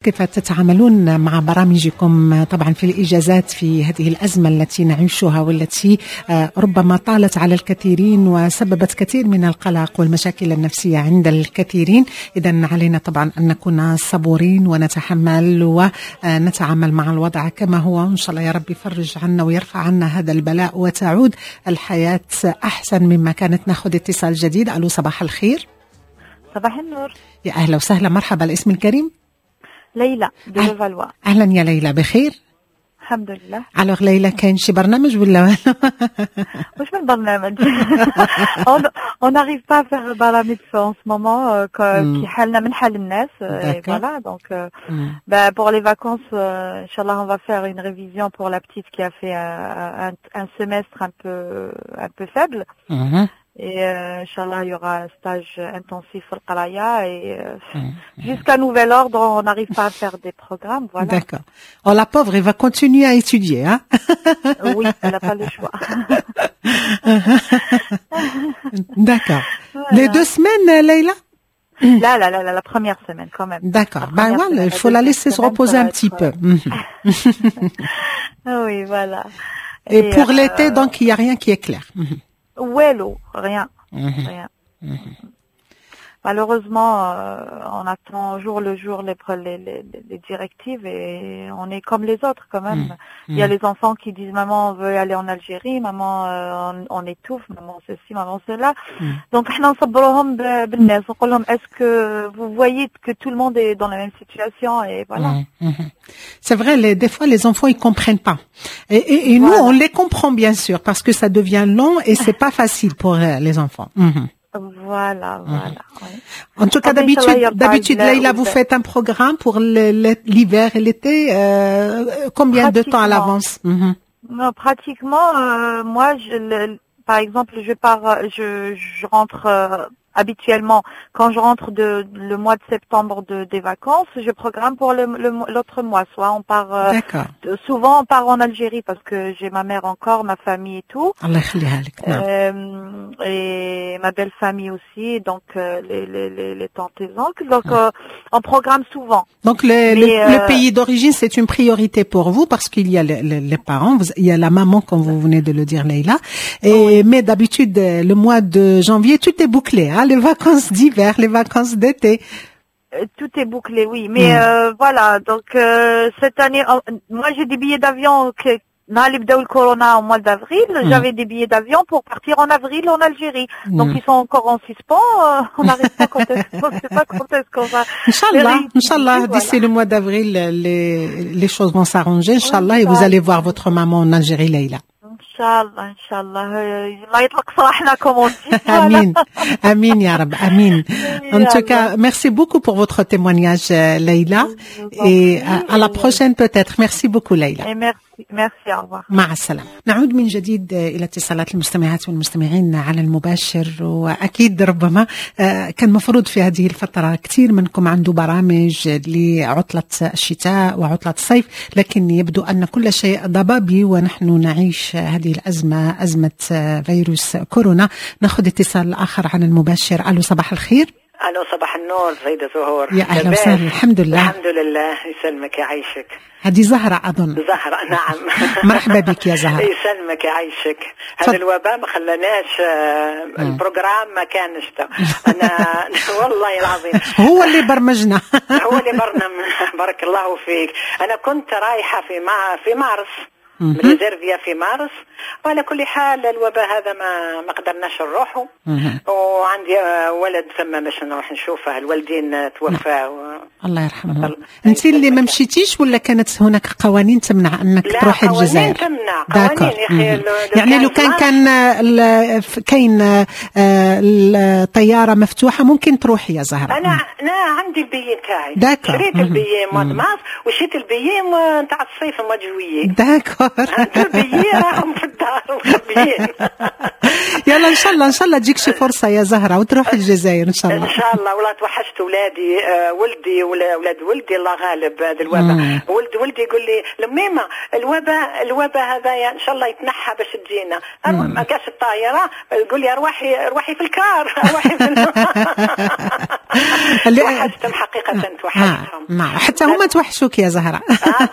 كيف تتعاملون مع برامجكم طبعا في الإجازات في هذه الأزمة التي نعيشها والتي ربما طالت على الكثيرين وسببت كثير من القلق والمشاكل النفسية عند الكثيرين؟ إذا علينا طبعا أن نكون صبورين ونتحمل ونتعامل مع الوضع كما هو، وإن شاء الله يا رب يفرج عنا ويرفع عنا هذا البلاء وتعود الحياة أحسن مما كانت. ناخذ اتصال جديد. ألو، صباح الخير. صباح النور. يا أهلا وسهلا، مرحبا. الاسم الكريم؟ ليلى de Levallois. اهلا يا ليلى، بخير؟ الحمد لله. alors ليلى، كاين شي برنامج ولا؟ واش من برنامج؟ on n'arrive pas à faire برامج en ce moment، كي حالنا من حال الناس. Voilà, donc bah, pour les vacances, إن شاء الله on va faire une révision pour la petite qui a fait un semestre un peu faible. Et إن شاء الله, il y aura un stage intensif في القراية et jusqu'à nouvel ordre, on n'arrive pas à faire des programmes. Voilà. D'accord. Oh, la pauvre, elle va continuer à étudier, hein? Oui, elle n'a pas le choix. D'accord. Voilà. Les 2 semaines, Leïla? لا لا لا لا، la première semaine quand même. D'accord. Ben voilà, il faut la laisser se reposer un petit peu. Oui, voilà. Et pour l'été, donc, il n'y a rien qui est clair. والو، rien. Rien. Malheureusement, on attend jour le jour les directives et on est comme les autres quand même. Il y a les enfants qui disent: maman, on veut aller en Algérie, maman, on étouffe, maman ceci, maman cela. Donc احنا نصبروهم بالناس، نقول لهم: est-ce que vous voyez que tout le monde est dans la même situation? Et voilà. C'est vrai, des fois les enfants, ils comprennent pas. Et nous, on les comprend bien sûr parce que ça devient long et c'est pas facile pour les enfants. Voilà. Oui. En tout cas, Ah, mais إن شاء الله, d'habitude, il y a pas d'habitude, de- Leïla, vous faites un programme pour l'hiver et l'été. Combien de temps à Pratiquement. l'avance? Non, pratiquement, moi, par exemple, je pars, je rentre habituellement quand je rentre de le mois de septembre des vacances, je programme pour l'autre mois. Soit on part, souvent on part en Algérie parce que j'ai ma mère encore, ma famille et tout. الله يخليها لك. نعم. Et ma belle famille aussi, donc les tantes et oncles. Donc on programme souvent. Donc Mais, le pays d'origine, c'est une priorité pour vous parce qu'il y a les parents, il y a la maman, comme vous venez de le dire, Leïla. Et mais d'habitude, le mois de janvier, tout est bouclé, hein, les vacances d'hiver, les vacances d'été. Tout est bouclé, oui. Mais voilà, donc cette année, moi j'ai des billets d'avion que نهار اللي بداو الكورونا au mois d'avril, j'avais des billets d'avion pour partir en avril en Algérie. Donc ils sont encore en suspens. On n'arrive pas quand est-ce, on sait pas quand est-ce qu'on va إن شاء الله, les إن شاء الله, réutiliser, d'ici voilà. le mois d'avril, les choses vont s'arranger, إن شاء الله, et vous allez voir votre maman en Algérie, Leïla. إن شاء الله، إن شاء الله. الله يطلق سراحنا comme on dit. Voilà. آمين. آمين، يا رب. آمين. En tout cas, merci beaucoup pour votre témoignage, Leïla. Je vous en Et prie. à la prochaine peut-être. Merci beaucoup, Leïla. Et merci, merci, au revoir. مع السلامة. نعود من جديد إلى اتصالات المستمعات والمستمعين على المباشر، وأكيد ربما كان مفروض في هذه الفترة كثير منكم عنده برامج لعطلة الشتاء وعطلة الصيف، لكن يبدو أن كل شيء ضبابي ونحن نعيش هذه الأزمة، أزمة فيروس كورونا. ناخذ اتصال آخر على المباشر. ألو، صباح الخير. الو، صباح النور سيدة زهور. يا أهلا لاباس؟ وسهلا، الحمد لله. الحمد لله، يسلمك يعيشك. هذه زهرة أظن. زهرة، نعم. مرحبا بك يا زهرة. يسلمك يعيشك. تفضل. هذا الوباء ما خلاناش ال programme ما كانش انا والله العظيم. هو اللي برمجنا. هو اللي برنامج، بارك الله فيك. انا كنت رايحه في مارس، ريزيرفيا في مارس، وعلى كل حال الوباء هذا ما قدرناش نروحوا، وعندي ولد ثم باش نروح نشوفه، الوالدين توفاوا. الله يرحمه. انت اللي ما مشيتيش ولا كانت هناك قوانين تمنع انك لا، تروحي قوانين الجزائر؟ تمنع، قوانين يا اخي. يعني لو كان كاين الطياره مفتوحه ممكن تروحي يا زهره؟ انا عندي ال billet تاعي. d'accord. شريت ال billet mois de mars وشريت ال billet نتاع الصيف mois de juillet. d'accord. ال billet راهم في الدار. مخبيين. يلا ان شاء الله، ان شاء الله تجيك شي فرصة يا زهره وتروح الجزائر ان شاء الله. ان شاء الله. والله توحشت ولادي، ولدي ولاد ولدي، الله غالب هذا الوباء. ولدي يقول لي لميمه الوباء هذا ان شاء الله يتنحى باش تجينا، ما كاش الطائرة، يقول لي ارواحي في الكار، ارواحي في توحشتهم حقيقة، توحشتهم. نعم، حتى هما توحشوك يا زهره.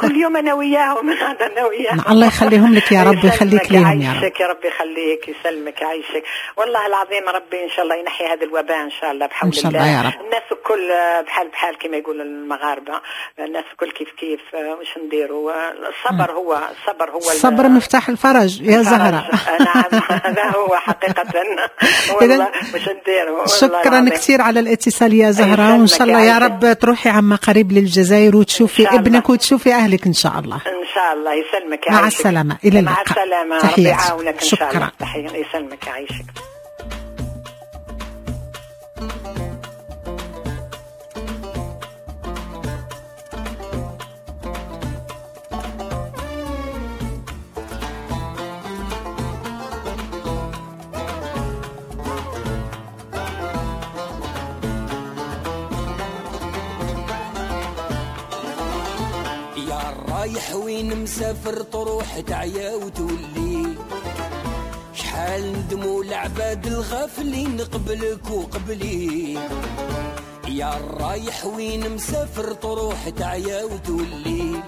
كل يوم انا وياهم، انا وياهم. الله يخليهم لك يا رب ويخليك ليهم يا رب. يا رب يخليك، يسلمك، يعيشك. والله العظيم ربي ان شاء الله ينحي هذا الوباء ان شاء الله بحول الله. ان شاء الله يا رب. الناس الكل بحال بحال كما يقول المغاربة، الناس الكل كيف كيف. واش نديروا؟ الصبر هو الصبر، هو الصبر مفتاح الفرج يا زهره. نعم هذا هو حقيقة. والله واش نديروا. شكرا كثير على الاتصال يا زهره، وان شاء الله يا رب تروحي عما قريب للجزائر وتشوفي ابنك وتشوفي اهلك ان شاء الله. ان شاء الله. يسلمك. مع السلامة، الى اللقاء. مع السلامة، ربي يعاونك ان شاء الله. تحية، يسلمك، يعيشك. رايح وين مسافر تروح تعيا وتولي، شحال ندموا العباد الغافلين قبلك وقبلي. يا رايح وين مسافر تروح تعيا وتولي،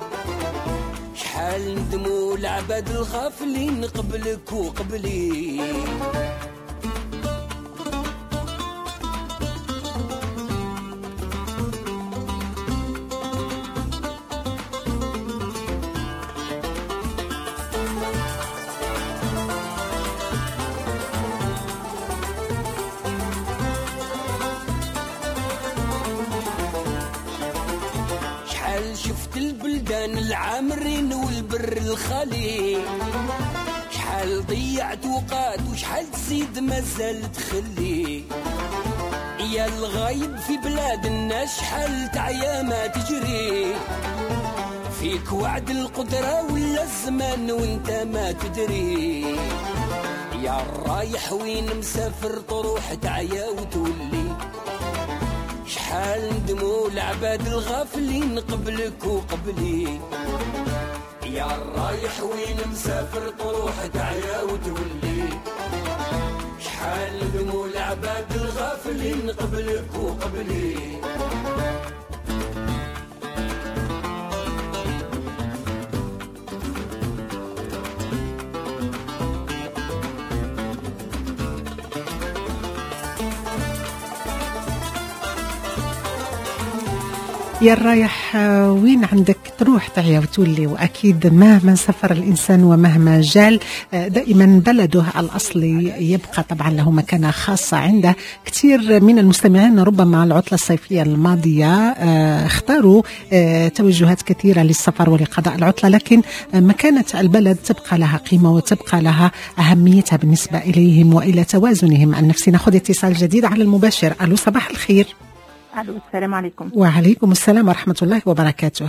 شحال ندموا العباد الغافلين قبلك وقبلي. البلدان العامرين والبر الخالي، شحال ضيعت وقات وشحال تزيد مازال تخلي. يا الغايب في بلاد الناس شحال تعيا ما تجري، فيك وعد القدرة ولا الزمان وانت ما تدري. يا الرايح وين مسافر تروح تعيا وتولي، شحال ندموا العباد الغافلين قبلك وقبلي. يا الرايح وين مسافر تروح تعيا وتولي، شحال ندموا العباد الغافلين قبلك وقبلي. يا الرايح وين عندك تروح تعيا وتولي، وأكيد مهما سافر الإنسان ومهما جال دائما بلده الأصلي يبقى طبعا له مكانة خاصة عنده. كثير من المستمعين ربما العطلة الصيفية الماضية اختاروا توجهات كثيرة للسفر ولقضاء العطلة، لكن مكانة البلد تبقى لها قيمة وتبقى لها أهميتها بالنسبة إليهم وإلى توازنهم النفسي. نأخذ اتصال جديد على المباشر. ألو، صباح الخير. الو، السلام عليكم. وعليكم السلام ورحمة الله وبركاته.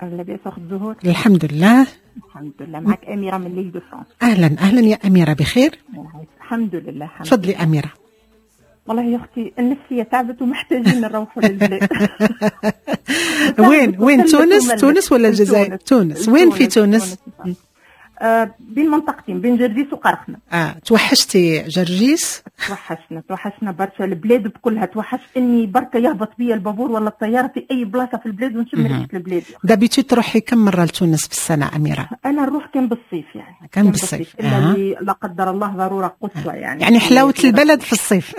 لاباس اخت زهور؟ الحمد لله. الحمد لله. معك اميره من l'Île-de-France. اهلا اهلا يا اميره، بخير؟ الحمد لله. تفضلي اميره. والله يا اختي النفسية تعبت ومحتاجين نروحوا للبلاد. وين تونس؟ تونس ولا الجزائر؟ تونس. وين في تونس؟ بين منطقتين، بين جرجيس وقرخنا. توحشتي جرجيس؟ توحشنا برشا البلاد بكلها. توحشت اني بركة يهبط بيا البابور ولا الطيارة في اي بلاصة في البلاد ونشم ريحه البلاد. d'habitude تروحي كم مرة لتونس في السنة اميره؟ انا نروح كان بالصيف يعني. كان بالصيف. الا لا قدر الله ضرورة قصوى يعني. يعني حلاوة البلد في الصيف.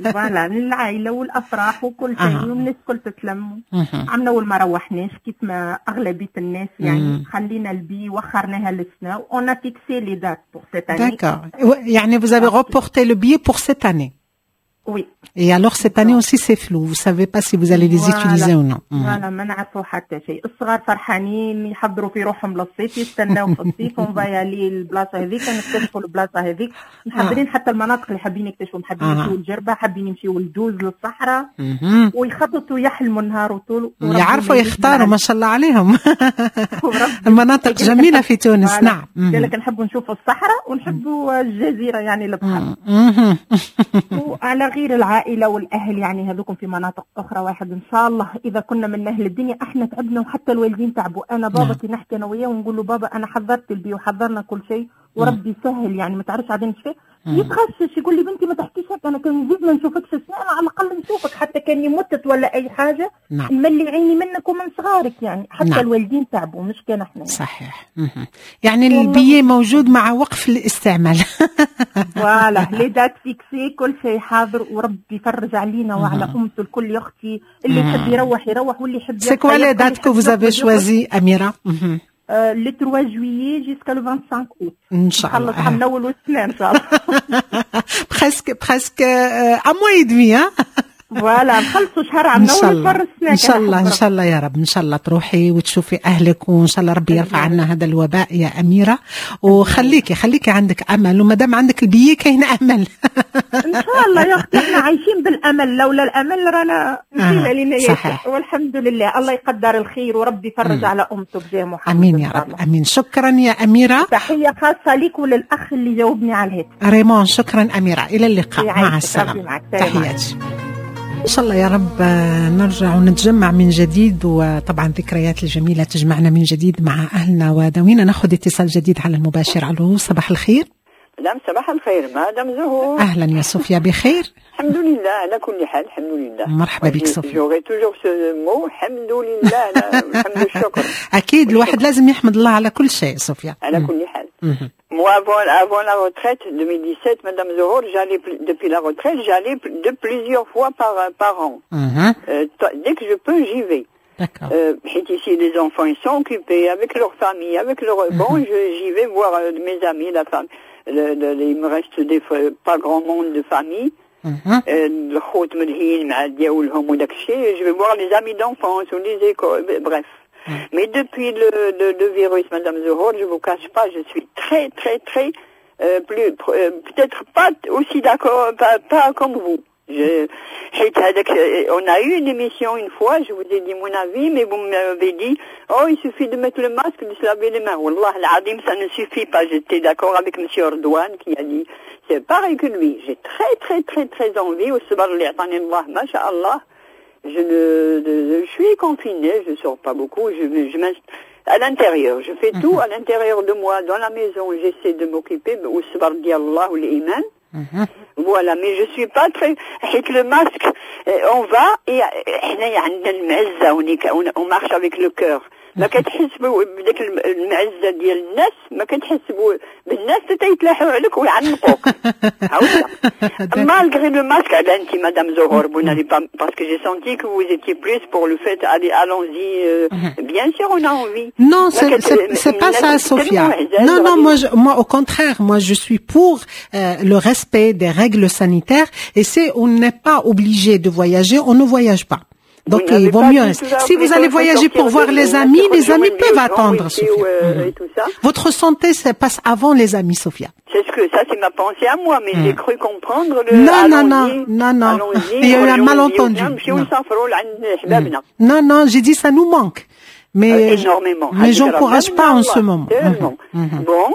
voilà، للعائلة والافراح وكل شيء، والناس الكل تتلم. عمنا اول ما روحناش كيف ما اغلبية الناس يعني، خلينا البي وخرناها للسنة. On a fixé les dates pour cette année. D'accord. يعني vous avez reporté le billet pour cette année. Oui. Et alors cette année aussi c'est flou, vous savez pas si vous allez les utiliser ou non. Voilà, ما نعرفوا حتى شيء. الصغار فرحانين يحضروا في روحهم للصيف، يستناو في الصيف، on va aller البلاصة هذيك، نكتشفوا البلاصة هذيك، محضرين حتى المناطق اللي حابين يكتشفوا، حابين يمشيوا للجربه، حابين يمشيوا لدوز للصحراء، ويخططوا يحلموا النهار وطول. يعرفوا يختاروا ما شاء الله عليهم. المناطق جميلة في تونس. نعم. قال لك نحبوا نشوفوا الصحراء ونحبوا الجزيرة يعني البحر. وعلى غير العائلة والاهل يعني هذوكم في مناطق اخرى. واحد ان شاء الله اذا كنا من اهل الدنيا، احنا تعبنا وحتى الوالدين تعبوا. انا بابا كي نحكي انا وياه ونقول له بابا انا حضرت ال billet وحضرنا كل شيء وربي يسهل، يعني ما تعرفش عاد فيه، يتغشش يقول لي بنتي ما تحكيش هكا، انا كان نزيد ما نشوفكش السنة على الاقل نشوفك حتى كاني متت ولا اي حاجه. نملي عيني منك ومن صغارك يعني حتى الوالدين تعبوا مش كان احنا. صحيح. يعني ال billet موجود مع وقف الاستعمال. voilà، les dates fixées، كل شيء حاضر، وربي يفرج علينا وعلى امته الكل يا اختي. اللي يحب يروح يروح واللي يحب C'est quoi les dates que vous avez choisies، أميرة؟ le 3 juillet jusqu'à le 25 اوت. ان شاء الله. نخلص عام الاول والسنة ان شاء الله. presque presque un mois et demi. voilà، نخلصوا شهر عام الاول. السنة ان شاء الله، ان شاء الله يا رب، ان شاء الله تروحي وتشوفي اهلك، وان شاء الله ربي يرفع عنا هذا الوباء يا اميره. وخليكي خليكي عندك امل، وما دام عندك ال billet كاين امل. ان شاء الله يا اختي، احنا عايشين بالامل، لولا الامل رانا مشينا لنا. صحيح. والحمد لله، الله يقدر الخير وربي يفرج على امته بجاه محمد. امين يا رب، امين. شكرا يا اميره. تحية خاصة لك وللاخ اللي جاوبني على الهاتف. ريمون. شكرا اميره، الى اللقاء، مع السلامه، تحياتي. إن شاء الله يا رب نرجع ونتجمع من جديد، وطبعا الذكريات الجميلة تجمعنا من جديد مع أهلنا وذوينا. ناخذ اتصال جديد على المباشر. ألو، صباح الخير. مدام، صباح الخير مدام زهور. أهلا يا صوفيا، بخير؟ الحمد لله على كل حال، الحمد لله. مرحبا بك صوفيا. j'aurai toujours ce mot، الحمد لله، الحمد والشكر. أكيد، الواحد لازم يحمد الله على كل شيء صوفيا. على كل حال. Moi, avant la retraite, 2017, Madame Zohor, j'allais, depuis la retraite, j'allais de plusieurs fois par an. Dès que je peux, j'y vais. Ici, les enfants, ils sont occupés avec leur famille, avec leur... Bon, j'y vais voir mes amis, la femme. Il me reste des, pas grand monde de famille. الخوت ملهين مع دياولهم وداك الشيء. Je vais voir les amis d'enfance ou les écoles, bref. Mais depuis le virus, Madame Zohor, je vous cache pas, je suis très, très, très, plus, peut-être pas aussi d'accord, pas comme vous. On a eu une émission une fois, je vous ai dit mon avis, mais vous m'avez dit, oh, il suffit de mettre le masque, de se laver les mains. والله العظيم, ça ne suffit pas. J'étais d'accord avec Monsieur Erdouane qui a dit, c'est pareil que lui. J'ai très, très, très, très envie, ما شاء الله. Je ne, je suis confinée, je sors pas beaucoup, je à l'intérieur. Je fais tout à l'intérieur de moi, dans la maison. J'essaie de m'occuper, والصبر ديال الله والإيمان. Voilà, mais je suis pas très. Avec le masque, on va et on marche avec le cœur. ما كتحس بداك المعزه ديال الناس، ما كتحس بالناس حتى يتلاحوا عليك ويعنقوك. Malgré le masque, انت madame Zohor, vous n'allez pas, parce que j'ai senti que vous étiez plus pour le fait, allez, allons-y, bien sûr on a envie. Non, c'est pas ça, Sophia. Non, non, moi au contraire, moi je suis pour le respect des règles sanitaires et c'est on n'est pas obligé de voyager, on ne voyage pas. Donc il vaut mieux. Si vous allez voyager pour voir les amis, les amis peuvent attendre, Sophia. Votre santé, ça passe avant les amis, Sophia. C'est ce que ça, c'est ma pensée à moi, mais j'ai cru comprendre le. Non, non, non, non, non. Il y a eu un malentendu. Non, non, j'ai dit ça nous manque. Mais énormément. Mais j'encourage pas en ce moment. Bon,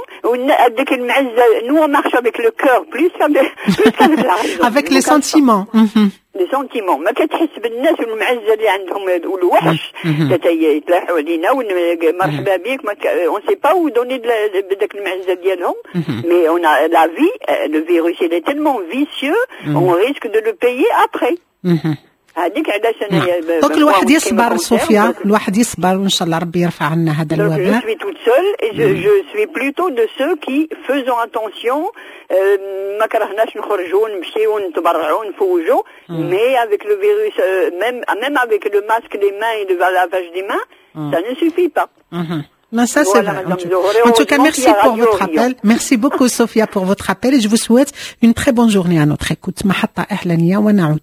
nous on marche avec le cœur plus qu'avec la raison. Avec les sentiments. Les sentiments. ما كتحس بالناس والمعزه اللي عندهم والوحش يتلاحوا علينا مرحبا بك، on sait pas où donner بداك المعزه ديالهم. Mais on a la vie, le virus il est tellement vicieux, on risque de le payer après. هذيك علاش انا donc الواحد يصبر صوفيا، الواحد يصبر وان شاء الله ربي يرفع عنا هذا الوباء. Je suis toute seule et je suis plutôt de ceux qui faisons attention. ما كرهناش نخرجوا نمشيو نتبرعوا نفوجوا، mais avec le virus, même avec le masque, les mains et le lavage des mains, ça ne suffit pas. Mais ça, c'est Voilà, vrai. Madame Zohor. En tout cas, Heureusement merci qu'il y a pour Radio votre Orient. appel. Merci beaucoup, Sophia, pour votre appel et je vous souhaite une très bonne journée à notre écoute. محطة إعلانية ونعود.